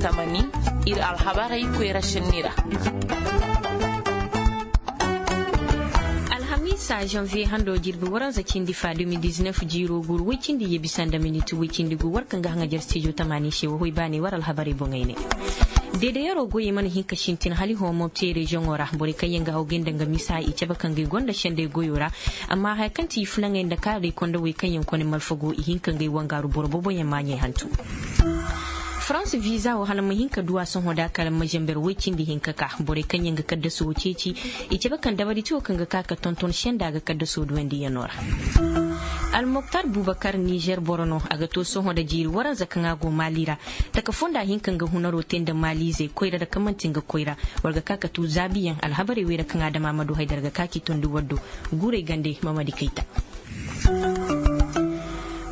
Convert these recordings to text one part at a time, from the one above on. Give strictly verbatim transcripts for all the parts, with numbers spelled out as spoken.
Tamani, ir alhabarey koyra šenni ra. Alhamiisa, zanviye hando jirbi waranza cindi fa de mil diznef jiiro guuru woy cindi ye bisa nda minit woy cindi gu war kaŋ ga haŋajer stijo tamani se wo hoy baaney war alhabarey boŋey ne. Deedeyaroo goyey mana hin ka sintin hala i hõ mopti reziyoŋo ra borey kaŋ yaŋ ga haw ga nda nga misa i cabe ka ngey gonda sendey goyoo ra. Amma haya kaŋ ti i fulaŋey nda kaarey kondowey kaŋ yaŋ kone malfago i hin ka ngey wangaaru boro booboyaŋ maaɲey hantum. Farans viza wo hala ma hin ka du a sohõ da kala ma zamber woy cindi hinka ka borey kaŋ yaŋ ga kaddasoo ceeci. I cabe kaŋ dabari ti wo kaŋ ga ka ka tonton senda ga kaddasoo duwandiyanoo ra. Almoktar bubakar nizer boro no a ga to sohõ nda jiiri waranza kaŋ a go maali ra. Taka fonda hin kaŋ ga hunaroo te nda maaliizey koyra nda kaŋ man'ti nga koyra. War ga ka ka tu zaabiyaŋ alhabarey wey ra kaŋ a dama ma du haydar ga ka k'i tondi war do. Guurey gande mamadi kayta.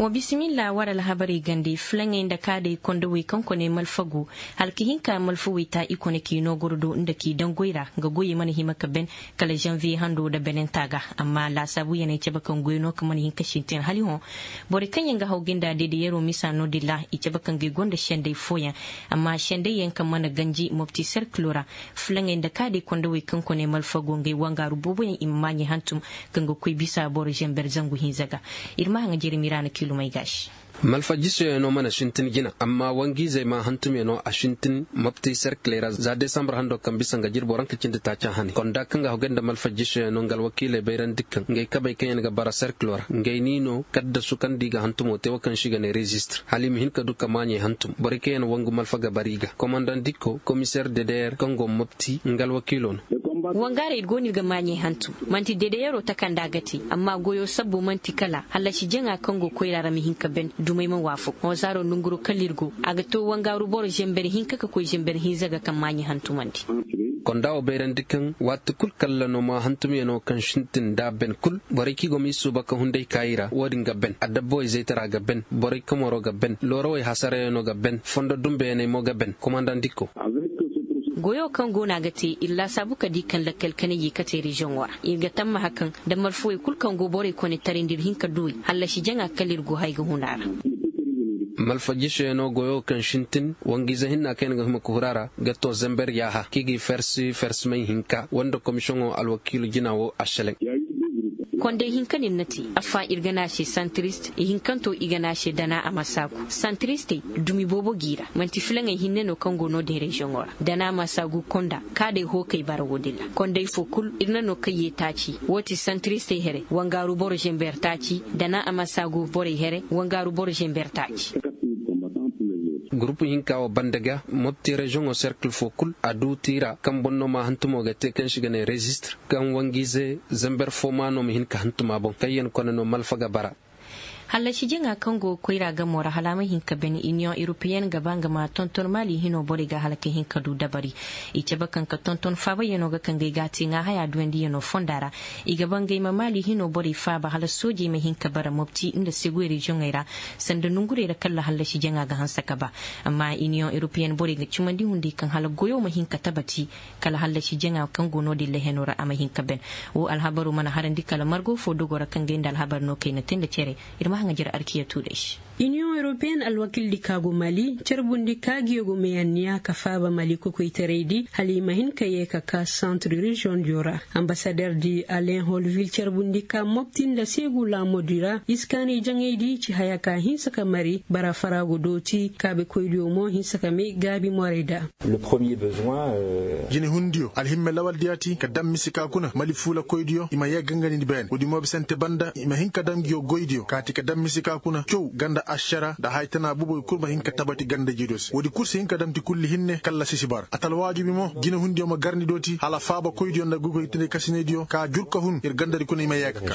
Wa bisimilla war alhabarey gande fulaŋey nda kaadey kondowey kaŋ kone malfago. Hala ka hin ka malfawey ta i kone k'i noo goro do nda k'i daŋ goy ra nga goyey mana hima ka ben. Kala zanviye hando nda benenta ga. Amma laasaabuyaney cabe kaŋ goy no kaŋ mana hin ka sintin hala i hõ. Borey kaŋ yaŋ ga haw ga nda deedeyaroo misa no-din ra i cabe kaŋ ga i gonda sendey fooyaŋ. Amma sendey yaŋ kaŋ mana ganji mopti serkiloo ra. Fulaŋey nda kaadey kondowey kaŋ kone malfago ngey wangaaru booboyaŋ i ma maaɲey hantum. Kaŋ ga koy bisa boro zamber zangu hinza ga. Ir ma haŋa jeremi ra na kiilumey gaasi. Malfa jisoyaŋo mana sintin jina amma wangiizey ma hantumyaŋo a sintin mopti serkiley ra za desambar hando kaŋ bisa nga jirbo ranka cindi taaca hane konda kaŋ ga haw ga nda malfa jisoyaŋo nga alwakiiley bayrandi kaŋ ngey kabey kaŋ yaŋ ga bara serkiloo ra ngey niino kaddasu kaŋ nda i ga hantumo te wo kaŋ se i ga ne rezistir hala i ma hin ka du ka maaɲey hantum borey kaŋ yaŋ wangu malfa ga bara i ga komandandiko komiseer dedeyer kaŋ go mopti nga alwakiiloo no. Wangaaray go no ir ga maaɲey hantum. Man'ti dedeyaroo takanda ga te amma goyoo sabbu man'ti kala hallasi jaŋa kaŋ go koyra ra ma hin ka ben dumey ma waafaku hõ zaaro nonguroo kala ir go a ga to wangaaru boro zember hinka ka koy zember hinza ga kaŋ maaɲey hantumandi. Konda wo bayrandi kaŋ waati kul kalla no ma hantumyanoo kaŋ sintin nda a ben kul borey kaŋ i go ma i suuba ka hunday ka i ra wo-din ga ben adabbo izaytara ga ben borey kaŋ moroo ga ben loorawey hasarayanoo ga ben fondo dumbeyaney mo ga ben komandandiko. Goyoo kaŋ go no a ga te ir laasaabu ka di kaŋ lakkal kanay ye kate reziyoŋo ra ir ga tammaha kaŋ nda malfawey kul kaŋ go borey kone tarindi ir hin ka duwey hallasi jaŋa kala ir go hay ga hun a ra. Malfa jisoyaŋo goyoo kaŋ sintin wangiize hinna kaŋ yaŋ ga hima ka huru a ra ga to zember yaaha kaŋ i ga i fersi fersimay hinka wanda komisiyoŋo alwakiilu jina wo a seleŋ. Konday hinka no ir na te. Affa ir ga ne a se santirist ihinkanto i ga ne a se dana a ma saagu santiristey dumi boobo g'i ra man'ti filaŋey hinne no kaŋ go no-din reziyoŋo ra dana a ma saagu konda kaadey hookey bara wo-din ra konday fo kul ir na no kaŋ ye taaci wo ti santiristey here wangaaru boro zember taaci dana a ma saagu borey here wangaaru boro zember taaci. Gurupu hinka wo bande ga mopti reziyoŋo serkil fo kul a du tiira kaŋ boŋ no ma hantumo ga te kaŋ se i ga ne rezistir kaŋ wangiize zember fo ma no ma hin ka hantum a boŋ kaŋ yaŋ kone no malfa ga bara. Hallasi jaŋa kaŋ go koyra gamo ra hala a ma hin ka ben iniyoŋ europeyen ga ba nga ma tonton maali hino borey ga hala ka hin ka du dabari. I cabe kaŋ ka tonton faabayanoo ga kaŋ ga ay ga a te ŋaa haya duwandiyanoo fonda ra. I ga ba nga ay ma maali hino borey faaba hala soojey ma hin ka bara mopti nda seguwey reziyoŋey ra. Sanda nongurey ra kala hallasi jaŋa ga hanse ka ba. Amma iniyoŋ europeyen borey ga cimandi hunday kaŋ hala goyoo ma hin ka tabati. Kala hallasi jaŋa kaŋ go no-din lahenoo ra a ma hin ka ben. Woo alhabaroo mana harandi kala margo fo dogoo ra kaŋ ga ay nda alhabar no kay na te nda cere. Ir ma haŋajer arkiya tuuday se. Iniyoŋ europeyen alwakildi ka go mali carbundi ka ngiyo go may anniya ka faaba mali kokoytaraydi hala i ma hin ka yee ka ka santir reziyoŋ diyo ra. Ambasaderdi alen holvil carbundi ka mopti nda seegu laamudi ra iskaanay jaŋaydi ci haya ka hinsa ka mari bara faraagu dooti kaabekoydiyo mo hinsa ka may gaabi morayda. Jinehundiyo alhimme lawaldiyo ti ka daŋ mise ka kuna mali fuulakoydiyo i ma yee gangandi beene woodi mo bisante banda i ma hin ka daŋ ngiyo goydiyo kaati ka daŋ mise ka kuna caw ganda ašara nda haya tana buboy kul ma hin ka tabati ganda jiidiyo se woodi kul si hin ka daŋ ti kulli hinne kalla sisi bara atalwaajubi mo jinehundiyo ma garndi do ti hala faabakoydiyo nda goykoytinde kasinaydiyo ka jur ka hun ir gandadi kuna i ma yee ka ka.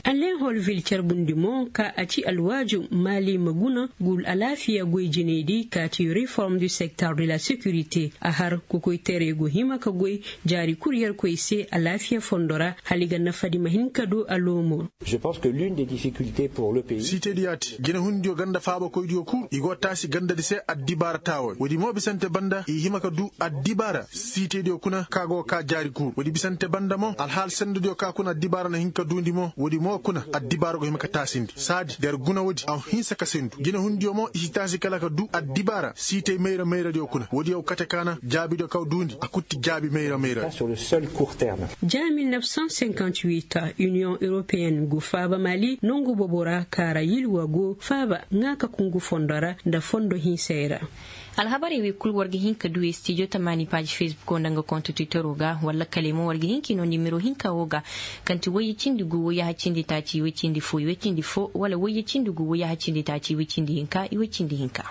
Alain holvil carbundi mo ka a ci alwaaju maali ma guna ngu alaafiya goy jinaydi ka ci reform du sektor de la securite a har kokoytaray go hima ka goy jaari kul yerkoy se alaafiya fondo ra hala i ga nafadi ma hin ka du a loomo. Siitediyo ya ti jinehundiyo ganda faabakoydiyo kul i go taasi gandadi se addibaara taaway woodi mo bisante banda i hima ka duu addibaara siitediyo kuna ka go kaa jaari kul woodi bisante banda mo alhaal sendediyo ka kuna addibaara na hin ka duundi mo woodi mo kuna addibaara go hima ka taasindi saadi der guna woodi a hinsa ka sendu jinehundiyo mo i si taasi kala ka duu addibaara siitey mayra mayradiyo kuna woodiyo kate ka na jaabidiyo ka duundi a kutti jaabi mayra mayra. Jaa mil nef san senkanti wit, union europeen go faaba mali nongu bobo ra kaara yilwa go faaba ŋaa ka kungu fondo ra nda fondo hinsey ra. Alhabarey wey kul war ga hin ka du e stijo tamaani paaji fesbuko nda nga konto titoroo ga walla kale mo war ga hin ka i noo nimero hinka woo ga, kaŋ ti wayye cindi gu wayye haccindi taaci iway cindi fo iway cindi fo wala wayye cindi gu wayye haccindi taaci iway cindi hinka iway cindi hinka.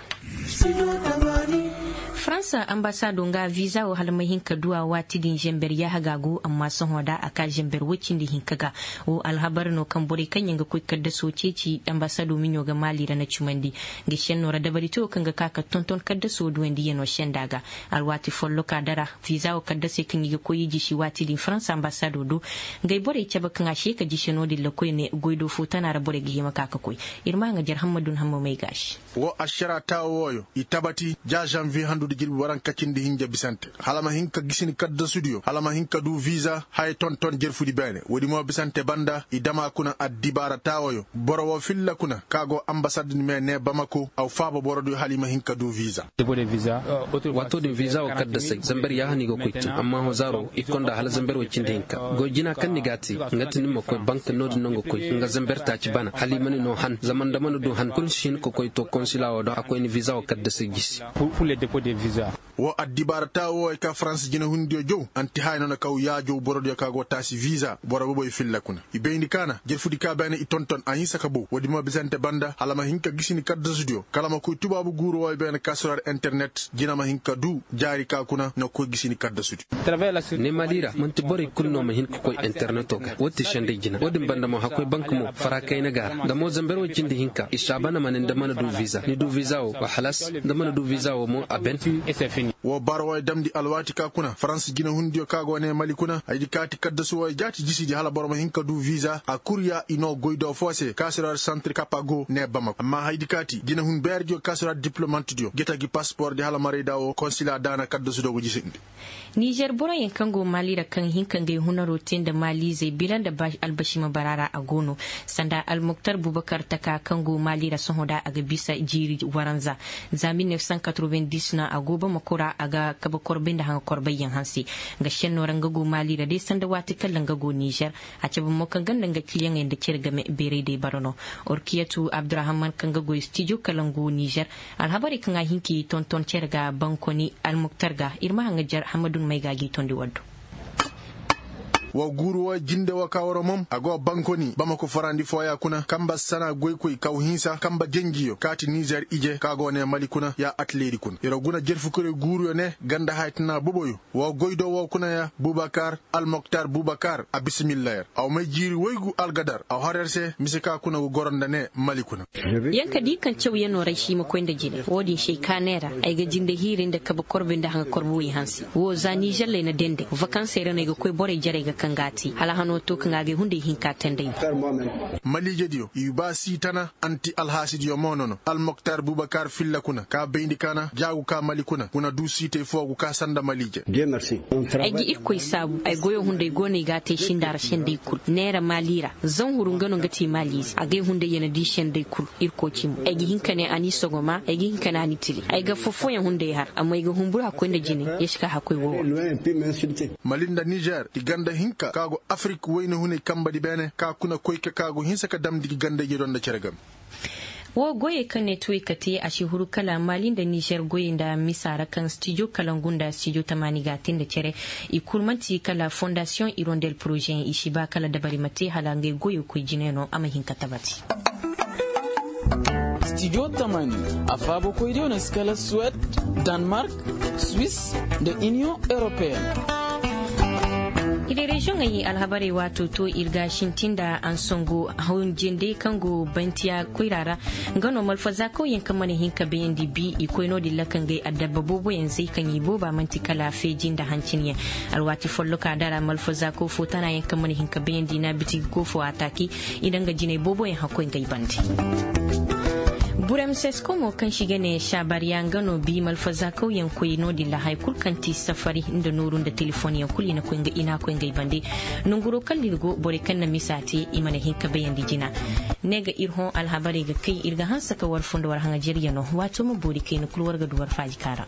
Faransa ambasaado nga viza wo hala ma hin ka du a waati din zember yaaha ga a go amma sohõ da a ka zember woy cindi hinka ga. Wo alhabar no kaŋ borey kaŋ yaŋ ga koy kaddasoo ceeci ambasaado miɲo ga maali ra na cumandi. Nga senno ra dabari te wo kaŋ ga ka ka tonton kaddasoo duwandiyanoo senda ga. Alwaati folloka dara viza wo kaddasey kaŋ i ga koy i jisi waati din faransa ambasaado do. Ngey borey cabe kaŋ a se ka jise no-din ra koyne goydoo fo tana ra borey ga hima ka ka koy. Ir ma nga jar hammadun hamma may ga a se. Woo ašaraa taawo wooyo i tabati ja žanviye handudi jirbi waranka cindi hinja bisante hala ma hin ka gisi ni kaddasudiyo hala ma hin ka duu viza haya tonton jerfudi beene woodi mo bisante banda i dam a kuna addibaara taawoyo boro woo filla kuna ka go ambasad ni mee nee bamako aw faaba borodiyo hala i ma hin ka duu viza. Waatoo din viza woo kaddasey zamber yaaha no i ga koy cin amma hozaro i konda hala zamber woy cindi hinka goy jina kaŋ ni ga a te nga ti ni ma koy bank no-din no nga koy nga zamber taaci bana hala i ma ni noo han zama nda mana du han kul ni si hin ka koy to konsila woo do a koy ni viza woo kaddasey gisi. Woo addibaara taawo wooyo ka farans jinehundiyo jow anti haya no na kaw yaajow borodiyo ka go taasi viza boro boboyo filla kuna i bayndi ka na jerfudi ka beene i tonton a hinsa ka bow woodi ma bisante banda hala ma hin ka gisi ni kaddasudiyo kala ma koy tubaabu guuru wooyo beene ka suraar internet jina ma hin ka duu jaari ka kuna na koy gisi ni kaddasudiyo. Ne mali ra man'ti borey kul no ma hin ka koy interneto ga woo ti senday jina woo din banda mo hakkoy bank mo fara kayna ga a ra nda mo zamber woo cindi hinka i saabana ma ne nda mana du viza ni du viza woo wa halas nda mana du viza woo mo a ben. Woo bara wooyo damndi alwaati ka kuna farans jinehundiyo ka go ne mali kuna haydi kaati kaddasu wooyo jaati jisidi hala boro ma hin ka du viza a kurya i noo goydoo foo se kaasiroo ra santir kapa go ne bamako amma haydi kaati jinehun beerediyo kaasiroo ra diplomantidiyo jeta gi paspoordi hala marayda woo konsila daana kaddasudiyo go jisindi. Nizer boroyaŋ kaŋ go maali ra kaŋ hin ka ngey hunaroo te nda maaliizey bila nda albasima bara ra a go no. Sanda almuktar bubakar taka kaŋ go maali ra sohõ da a ga bisa jiiri waranza za mil nef san katrovendis no a go bamako ra a ga kabe korbay nda haŋa korbayyaŋ hanse. Nga šennoo ra nga go maali ra day sanda waati kaŋ ra nga go nizer. A cabe mo kaŋ ganda nga kiliyaŋey nda cere game beeray day bara no. Orkiyatu abdurahaman kaŋ ga goy stijo kalangu nizer. Alhabarey kaŋ a hin k'i tonton cere ga bankoni almuktar ga ir ma haŋa jar hamadun may ga a g'i tondi waddo. Wa guuru wa jinde wa ka wara mom a go bankoni bamako farandi fooya kuna kamba sana goykoy kaw hinsa kamba jenjiyo kaati nizer ije ka go ne mali kuna ya atleeri kuna ira guna jerfukoyro guuruyo ne ganda haya tana boboyo wa goydo wo kuna ya bubakar almoktar bubakar a bismilla yer aw may jiiri woygu algadar aw har yer se mise ka kuna go goro nda ne mali kuna. Yer ka di kaŋ cawyanoo ra ay si hima koy nda jine wo-din se ay ka neera ay ga jinde hiiri nda kabe korbe nda haŋa korbe woy hanse wo za niželley na dende vakansey ra no ay ga koy borey jarey ga kaŋ ga a te hala hanoo to kaŋ a ga ay hunday hinka teenday. Maliijediyo i ba siitana anti alhaasidiyo mo nono almoktar bubakar filla kuna ka bayndi kaana jaagu ka mali kuna kuna du siitey foogu ka sanda maliije. Ay ga irkoy saabu ay goyo hunday go no ay ga a te sinda ra senday kul neera maali ra. Zanhuru nga no nga te maaliize a ga ay hunday ya na di senday kul. Irkoy cimo ay ga hin ka ne a n'i sogoma ay ga hin ka ne a n'i tili ay ga fofoyaŋ hunday har amma ay ga humburu hakkoy nda jine. Ya si ka hakkoy woowa. Mali nda nizer i ganda hinka ka go afirik wayna hunay kambadi beene ka kuna koy ka ka go hinsa ka damndi gi ganda ije do nda cere game. Woo goyey kaŋ ne tuwey ka te a si huru kala maali nda nizer goyey nda misa ra kaŋ stijo kalangu nda stijo tamaani ga a te nda cere. I kul man'ti kala fondasiyoŋ irondel porozeyaŋ i si ba kala dabari ma te hala ngey goyey koy jine no a ma hin ka tabati. Stijo tamaani a faabakoydiyo no si kala suwed, danmark, swis, nda iniyoŋ europeyen. Iri reziyoŋey alhabarey waato to ir ga sintin nda ansongo hawjinde kaŋ go bantiya koyra ra. Nga no malfazaakawyaŋ kaŋ mana hin ka bayandi bi i koy no- din ra ka ngey addabba booboyaŋ zay kaŋ i booba man'ti kala feeji nda hancinyaŋ. Alwaati folloka dara malfazaakaw fo tanayaŋ kaŋ mana hin ka bayandi na bitigi go fo a taaki. I na nga jinay booboyaŋ hakkoy ngey bande. Burem sesko mo kaŋ se i ga ne saabariya nga no bi malfazaakawyaŋ koy no- din ra haya kulu kaŋ ti safari nda nooru nda telefonyaŋ kulu i na koy ngey bande. Nonguro kaŋ da ir go borey kaŋ na misa te i mana hin ka bayandi jina. Ne ga ir hõ alhabarey ga kay ir ga hanse ka war foo nda war haŋajeryaŋo waato ma boori kayna kulu war ga du war faaji kaara.